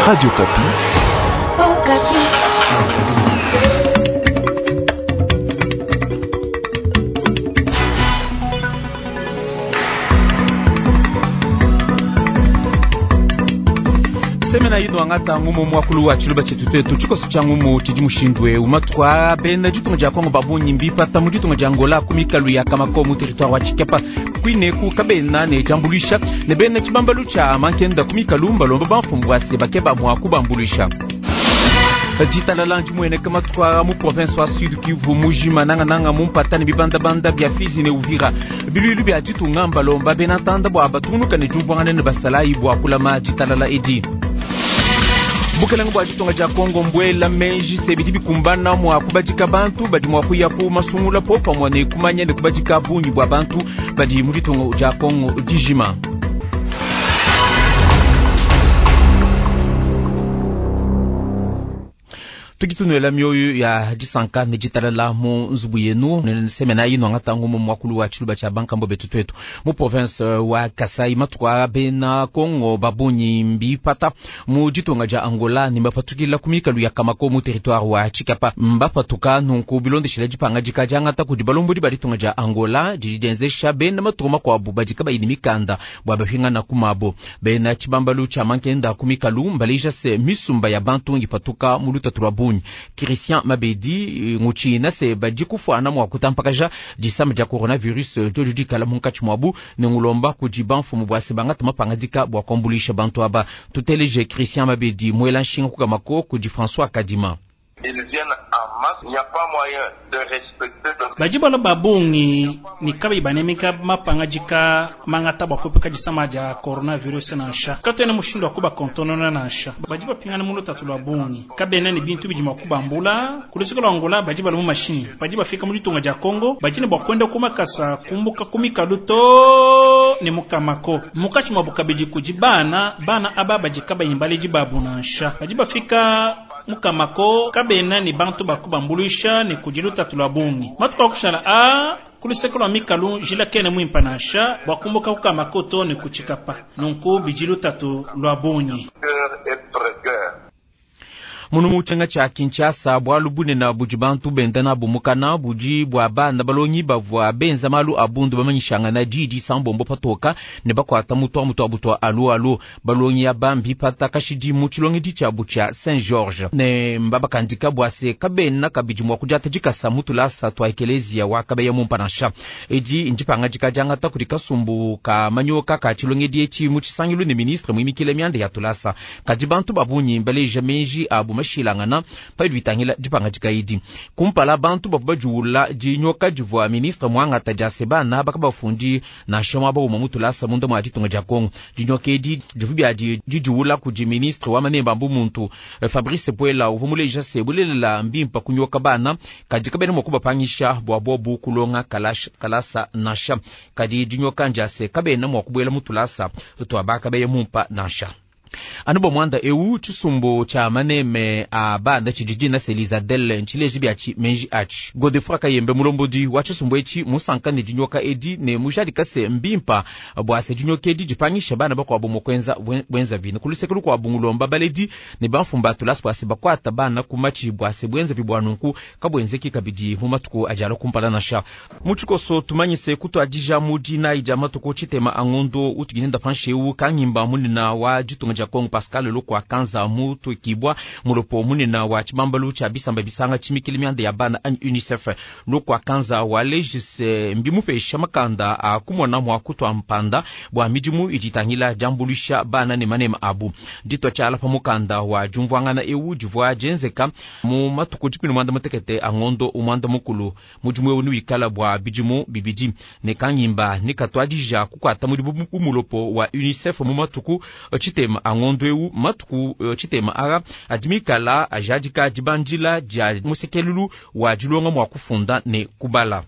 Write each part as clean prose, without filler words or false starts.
Radio Okapi. Oh, Semena yino angata ngumu mwakulu wa tshiluba tshietu twetu tshikoso tshia ngumu tshidi mushindu eu matuku a bena ditunga dia kongo babunyi mbipata mu ditunga dia Angola ku mikalu ya Kamako mu territoire wa Tshikapa kuineku kabena ne diambuluisha ne bena tshibambalu tshia mankenda ku mikalu mbalomba bamfumu bua se bakeba mua kubambuluisha. Ditalala ndimueneka matuku a mu province wa Sud Kivu mujima nangananga mu mpata ne bibandabanda bia Fizi ne Uvira. Biluilu bia ditunga mbalomba bena ntanda bua batungunuka ne diumvuangana ne basalayi bua kulama ditalala edi. Bukelenge bua ditunga dia Kongo mbuela meji se bidi bikumbana mua kubadika bantu badi mua kuya ku masungula popamue ne kumanya ne kubadika bungi bua bantu badi mu ditunga dia Kongo dijima. Tukitunuela mioyo ya disanka ne ditalala mu nzubu yenu semena yino angata ngumu mwakulu wa tshiluba tshia bankambo betu twetu mu province wa Kasai matuku a bena Kongo babunyi mbipata mu ditunga dia Angola ne bapatukila ku mikalu ya Kamako mu territoire wa Tshikapa. Mbapatuka nunku bilondeshela dipangadika diangata kudi balombodi ba ditunga dia Angola didi dienzesha bena matuku makuabu badi kabayi ne mikanda bua bapingana ku mabo. Bena tshibambalu tshia mankenda ku mikalu mbaleja se misumba ya bantu ngipatuka mu lutatu lua bungi. Christian Mabedi ngutshina se badi kufuana mua kutampakaja disama dia coronavirus diodio dikala munkatshi muabu ne ngulomba kudi bamfumu bua se bangata mapangadika bua kuambuluisha bantu aba. Tuteleje Christian Mabedi muela nshinga ku Kamako kudi François Kadima. Ils viennent en masse, il n'y a pas moyen de respecter le Badi balua ba bungi ne kabayi banemeka mapangadika mangata bua kuepuka disama dia coronavirus nansha. Katuena mushindu wa kubakontonona nansha. Badi bapingana mu lutatu lua bungi, kabena ne bintu bidi mua kubambula. Ku luseke lua Angola badi balua mu mashinyi, badi bafika mu ditunga dia Kongo badi ne bua kuenda ku makasa kumbuka ku mikalu too ne mu Kamako. Munkatshi muabu kabidi kudi bana, bana aba badi kabayi ne baledi babu nansha. Badi bafika mu Kamako kabena ne bantu bakubambuluisha ne kudi lutatu lua bungi. Matuku akushala a ku luseke lua mikalu njila kena muimpa nansha bua kumbuka ku Kamako to ne ku Tshikapa. Nunku bidi lutatu lua bungi. cœur est précaire. Munu mu tshienga tshia Kinshasa bualu bunene budi bantu benda nabu mukana budi bua bana balongi bavua benza malu a bundu bamanyishangana didi sambombo patoka ne bakuata mutu wa mutu wa butua alu alu. Balongi aba mbipata kashidi mu tshilongedi tshiabu tshia Saint George ne mbabakandika bua se kabena kabidi mua kudiata dikasa mu tulasa tua ekelezia wa kabeya mu mpanansha. Edi ndipangadika diangata kudi kasumbu ka manyoka ka tshilongedi etshi mu tshisangilu ne ministre muimikile mianda ya tulasa. Kadi bantu ba bungi mbaleja meji abu mashilangana padi bitangila dipangadika edi. Kumpala bantu bavua bajuula dinyoka divua ministre muangata dia se bana bakabafundi nansha muaba umue mu tulasa munda mua ditunga dia Kongo. Dinyoka edi divua biadi dijuula kudi ministre wa manemba a bumuntu Fabrice Puela uvua muleja se bulelela mbimpa kunyoka bana kadi kabena mua kubapangisha bua bobu kulonga kalasa nansha. Kadi dinyoka ndia se kabena mua kubuela mu tulasa tua bakabeya mumpa nansha. Anu bua muanda eu tshisumbu tshia maneme a bana tshidi dina se Lizadel ntshileji biatshi meji atshi. Godefroid Kayembe mulombodi wa tshisumbu etshi musanka ne dinyoka edi ne mujadika se mbimpa bua se dinyoka edi dipangisha bana bakuabu mua kuenza bwenza bino. Ku luseke lukuabu ngulomba baledi ne bamfumu ba tulasa bua se bakuata bana ku matshi bua se bwenza bibua nunku kabuenzeki kabidi mu matuku adi alua kumpala nansha. Mu tshikoso tumanyise kutuadija mu dinayi dia matuku tshitema a ngondo utudi panshi eu kangimba munene wa ditunga dia Kongo Pascal Lokua Kanza mutuikibwa mulopo munene wa tshibambalu tshia bisamba bisanga tshimikile mianda ya bana anyi UNICEF. Lokua Kanza walejise mbimupesha makanda a kumona mua kutua mpanda bua midimu idi itangila diambuluisha bana ne manema abu. Ditua tshiala pa mukanda wa diumvuangana eu divua dienzeka mu matuku dikumi ne muanda mutekete a ngondo muanda mukulu. Mudimu eu niwikala bua bidimu bibidi ne kangimba ne katuadija kukuata mudimu bu mulopo wa UNICEF mu matuku tshitema a ngondo eu matuku tshitema ara adi mikala ajadika dibandila dia musekelulu wa dilonga mua kufunda ne kubala.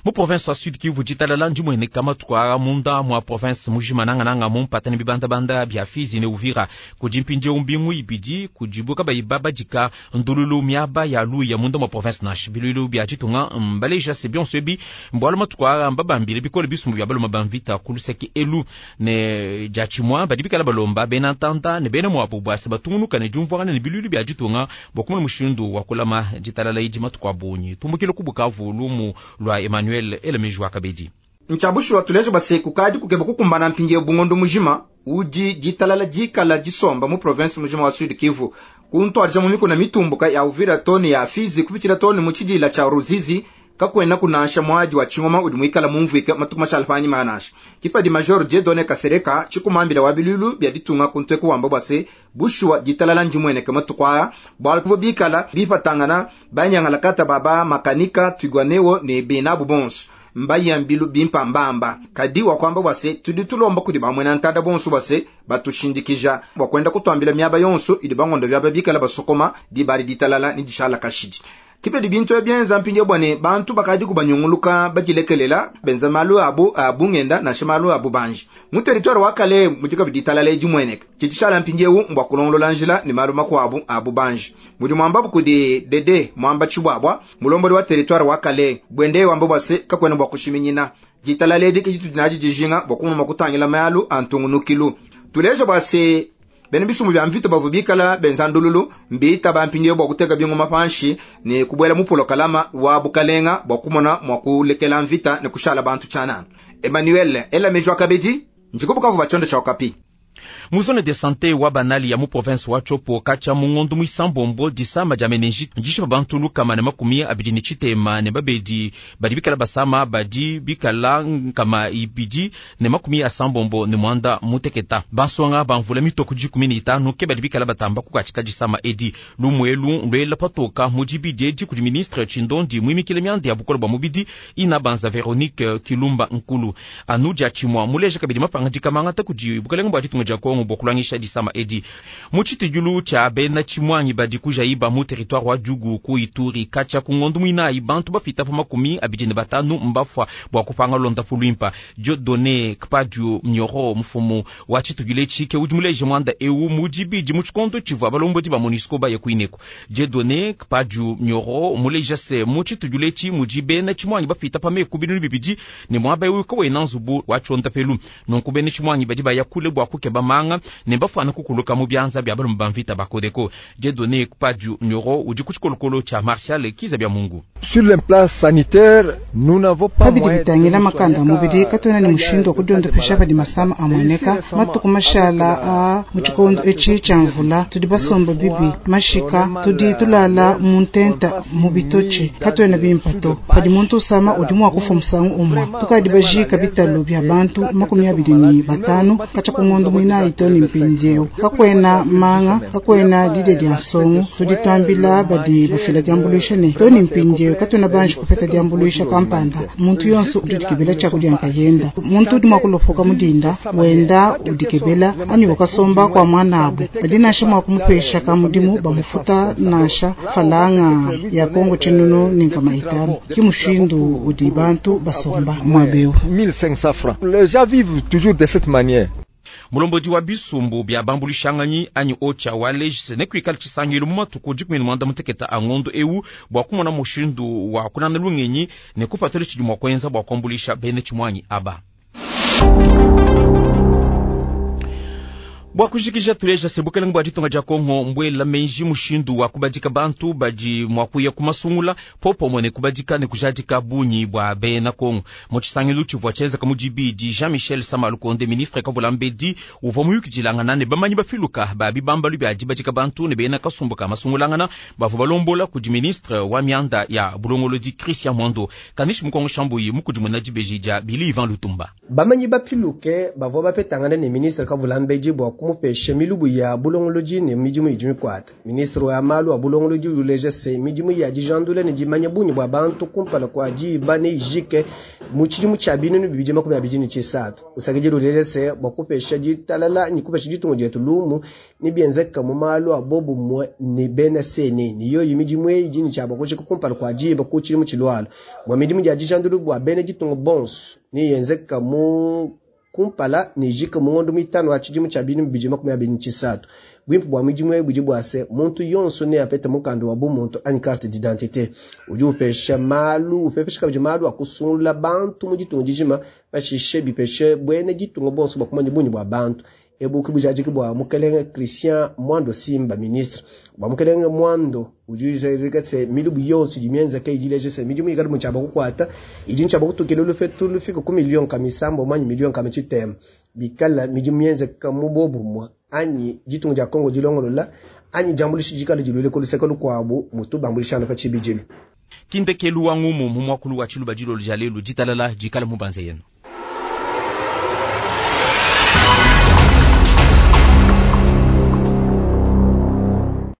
Mu province wa Sud Kivu, ditalala ndimueneka matuku aa munda mua province mujima, nangananga mu mpata ne bibandabanda bia Fizi ne Uvira. Kudi mpindieu mbingu ibidi kudibu kabayi babadika ndululu miaba ya luya munda mua province nansha. Biluilu bia ditunga mbaleja se bionso ebi mbualu matuku aa mbabambile bikole bisumbu bia balume ba mvita ku luseke elu ne diatshimue badi bikala balomba bena ntanda ne bena muabu bua se batungunuka ne diumvuangana ne biluilu bia ditunga bua kumona mushindu wa kulama ditalala idi matuku a bungi. Tumbukile ku Bukavu, lumu lua Emmanuel Elemeji wa Kabedi. Ntshabushuwa tuleje base kukadi kukeba kukumbana mpindieu bungondo mujima udi ditalala dikala disomba mu province mujima wa Sud Kivu, kuntwadija mu mikuna mitumbuka ya Uvira toni ya Fizi kupitshila toni mu tshidila tshia Ruzizi kakwena kunansha mwadi wa tshingoma udi muikala mumvuike matuku mashala panyima nansha. Kipadi Major Dieudonné Kasereka tshikumambila wa bilulu bia ditunga kuntweku wamba bua se bushuwa ditalala ndimueneke matuku aya bualu kuvo bikala bipatangana banyangalakata baba makanika Twirwaneho ne benabu bonso mbayambilu bimpambamba. Kadi wakwamba bua se tudi tulomba kudi bamwena ntada bonso bua se batushindikija bua kwenda kutwambila miaba yonso idi bangondo vyaba bikala basokoma dibali ditalala ni dishala kashidi. Kipedi bintu ebyenza mpindieu bua ne bantu bakadi kubanyunguluka badilekelela benza malu abu abungenda nansha malu abu banji mu territoire wa Kalehe mudi kabidi ditalala edimueneka. Tshitshishala mpindieu mbua kulongolola njila ne malu makuabu abu banji mudi muambabu kudi Dede Mwamba Tshibwabwa mulombodi wa territoire wa Kalehe bwende wamba bua se kakwena bua kushiminyina ditalala edi ke ditudi nadi dijinga bua kumuma kutangila malu a ntungunukilu. Tuleja bua se bena bisumbu bia mvita bavua bikala benza ndululu mbita bampindieu bua kuteka bingoma panshi ne kubuela mu polokalama wa bukalenga bua kumona mua kulekela mvita ne kushala bantu tshianana. Emmanuel Elameji wa Kabedi, ndikubukavu ba tshiondo tshia Okapi. Mu zone de santé wa Banali ya mu province wa Tshopo katshia mu ngondo muisambombo disama dia meningite ndishipa bantu lukama ne makumi abidi ne tshitema ne babedi badi bikala basama badi bikala nkama ibidi ne makumi asambombo ne mwanda muteketa. Bansonga bamvula mitoko dikumi ne itanu ke badi bikala batamba kukatsika disama edi. Lumuelu luela patoka mu dibidi edi kudi ministre Tshindondi muimikile mianda ya bukole bua mubidi ina banza Veronique Kilumba Nkulu. Anu dia tshimua muleja kabidi mapangadika mangata kudi bukalenga bua ditunga dia Kongo bua kulangisha disama edi. Mu tshitudilu tshia bena tshimwanyi badi kujaiba mu territoire wa Djugu ku Ituri katshia ku ngondo muinayi bantu bapita pa makumi abidi ne batanu mbafua bua kupanga londapu luimpa. Dieudonné Kpadio Nyoro mfumu wa tshitudilu etshi ke udi muleje muanda eu mu dibidi mu tshikondo tshivua balombodi ba MONUSCO baye kuineko. Dieudonné Kpadio Nyoro muleja se mu tshitudilu etshi mudi bena tshimwanyi bapita pa meku binunu bibidi ne muaba eu kawena nzubu wa tshondapelu. Nunku bena tshimwanyi badi baya kule bua kukeba manga ne bafana kukuluka mu bianza bia balume ba mvita ba Codeco. Dieudonné Kpadio Nyoro udi ku tshikolokolo tshia Martial Kiza bia Mungu. Sur le plan sanitaire, nous n'avons pas Pabidi moyen de bitangila nous makanda soigner mubidi car katwena ne il y a mushindu wa des kudiondopesha malades. padi masama amueneka Et ici, récemment, matuku mashala avec la, a mu la, tshikondo la etshi saison tshia pluvieuse, mvula tudi le basomba bibi froid, on mashika est mal tudi à tulala l'aise, mu on ntenta passe mu bitochi nuit dans katwena des, bimpa sous to de padi muntu bâches, usama dans udi la mua kufa boue. musangu umue Vraiment, tukadi on est mal à bajika l'aise. bitalu bia Et bantu quand makumi quelqu'un tombe abidi ne malade, batanu katshia ku automatiquement, nous ngondo avons déjà muinayi to appelé ne le 5. mpindieu Depuis le mois kakwena d'avril jusqu'à manga maintenant, il n'y a kakwena pas dide dia un accès de nsongo tudi soins, twambila le badi manger, bafila diambuluisha le... ne to ne Vraiment, c'est mpindieu incomplet. katwena Et banji c'est kupeta ce que nous pouvons diambuluisha dire aux kampanda humanitaires. muntu yonso udi Jusque-là, udikebela nous ne sommes tshiakudia pas nkayenda assistés. muntu udi mua Chacun kulopoka vit de mudinda sa manière. wenda Quand quelqu'un sort udikebela le anyi matin, ou du ukasomba kwa moins mwanabu s'endetter badi quelque nansha mua part dans kumupesha les ka familles mudimu de connaissances bamufuta comme ça. Donc nansha là, on va falanga peut-être lui ya donner Kongo tshinunu ne des nkama petits itanu travaux, des ki petits travaux mushindu udi bantu pour avoir basomba du moins muabeu. 1500 francs. Les gens vivent toujours de cette manière. Mulombodi wa bisumbu bia bambulishanganyi anyi ocha wa legise ne kuikala tshisangilu mu matuku dikumi ne muanda muteketa a ngondo eu bua kumona mushindu wa kunana lungenyi ne kupatula tshidi mua kuenza bua kuambulisha bena tshimwanyi aba. Bua kujikija tuleja se bukelenge bua ditunga dia Kongo mbwela menji mushindu wa kubadika bantu badi mua kuya kumasungula popomwe ne kubadika ne kujadika bunyi bua bena Kongo. Mu tshisangilu tshivua tshienzeka mu dibidi, Jean-Michel Samalukonde ministre kavula mbedi uvua muyukidilangana ne bamanyi bapiluka ba bibambalu bia dibadika bantu ne bena kasumbu ka masungulangana bavua balombola kudi ministre wa mianda ya bulongolodi Christian Mwando. Kanishi Mukongo Shambuyi mukudimuna dibeji dia Billy Ivan Lutumba. Bamanyi bapiluke bavua bapetangana ne ministre kavula mbedi bua mupesha milubu ya bulongolodi ne midimu idi mikwata. Ministre wa malu a bulongolodi udi uleja se midimu ya dijandula ne dimanya bungi bwa bantu kumpala kwa diba ne ijike mu tshidimu tshia 2023. Usakidila uleja se bwa kupesha ditalala ne kupesha ditunga dietu lumu ne bienzeka mu malu a bobumwe ne bena sene ne yoyi midimu eyi idi ne tshia bwa kujika kumpala kwa diba ku tshidimu tshilualua. Bua midimu ya dijandula bwa bena ditunga bonso ne yenzeka mu kumpala ne ijika mu ngondo mitano wa tshidimu tshia 2023. Bwimpe bwa midimu eyi budi bwa se muntu yonso ne apete mukanda wa bumuntu anyi carte d'identité. Udi upesha malu, upepesha kabidi malu a kusungulula bantu mu ditunga dijima, pashishe bipeshe bwene ditunga bonso bwa kumanya bungi bwa bantu. Ebu ke bujadiki bwa mukelenge Christian Mwando Simba ministre. Bwa mukelenge Mwando udi ujadika se milubu yonso idi mienzeka idi ileja se midimu ikadi mu tshia kukwata idi ntshia kutukila lufetu lufika ku million ka misambo manyi million ka mitshitema. Bikala midimu mienzeka mu bobumwa anyi ditunga dia Congo dilongolola anyi diambuluisha dikala dilwele ku luseke lukuabu mutu bambuluishana pa tshibidilu. Kindekelu wa ngumu mu mwakulu wa tshiluba dilolo dia lelu ditalala dikala mu banze yenu.